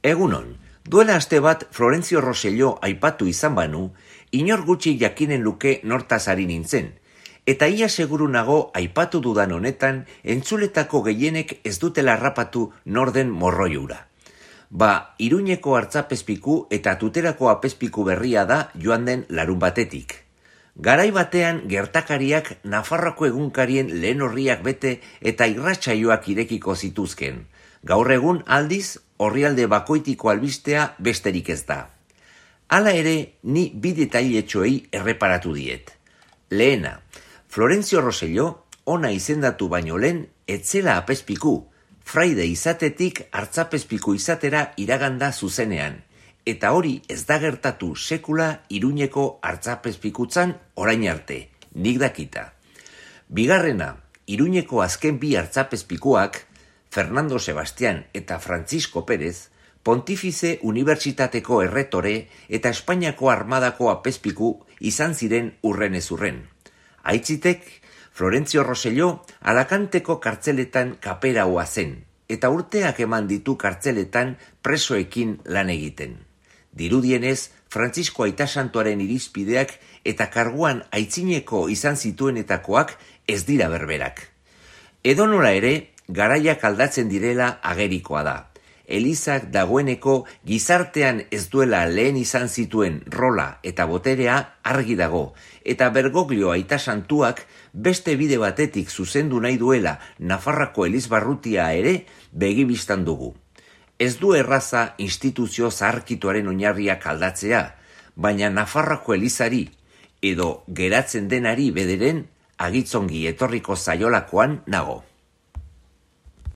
Egunon, duela aste bat Florentzio Rosselló aipatu izan banu, inor gutxi jakinen luke nortaz ari nintzen, eta ia seguru nago aipatu dudan honetan entzuletako gehienek ez dutela harrapatu norden morroiura. Iruñeko hartzapezpiku eta Tuterako apezpiku berria da joan den larun batetik. Garai batean gertakariak Nafarroako egunkarien lehen orriak bete eta irratsaioak irekiko zituzken. Gaur egun aldiz, orrialde bakoitiko albistea besterik ez da. Hala ere, ni bi detailetxoei erreparatu diet. Lehena, Florentzio Rosselló ona izendatu baino lehen etzela apezpiku, fraide izatetik hartzapezpiku izatera iraganda zuzenean, eta hori ez da gertatu sekula Iruñeko hartzapezpikutzan orain arte, nik dakita. Bigarrena, Iruñeko azken bi hartzapezpikuak, Fernando Sebastián eta Francisco Pérez, Pontifize Unibertsitateko erretore eta Espainiako armadako apezpiku izan ziren urrenez urren. Aitzitek, Florentzio Rosselló Alakanteko kartzeletan kaperaua zen, eta urteak eman ditu kartzeletan presoekin lan egiten. Dirudienez, Francisco Aitasantuaren irizpideak eta karguan aitzineko izan zituenetakoak ez dira berberak. Edonola ere, garaiak aldatzen direla agerikoa da. Elizak dagoeneko gizartean ez duela lehen izan zituen rola eta boterea argi dago, eta Bergoglio Aitasantuak beste bide batetik zuzendu nahi duela Nafarroako elizbarrutia ere begibistan dugu. Ez du erraza instituzio zaharkituaren oinarriak aldatzea, baina Nafarroako elizari, edo geratzen denari bederen, agitzongi etorriko zaiolakoan nago.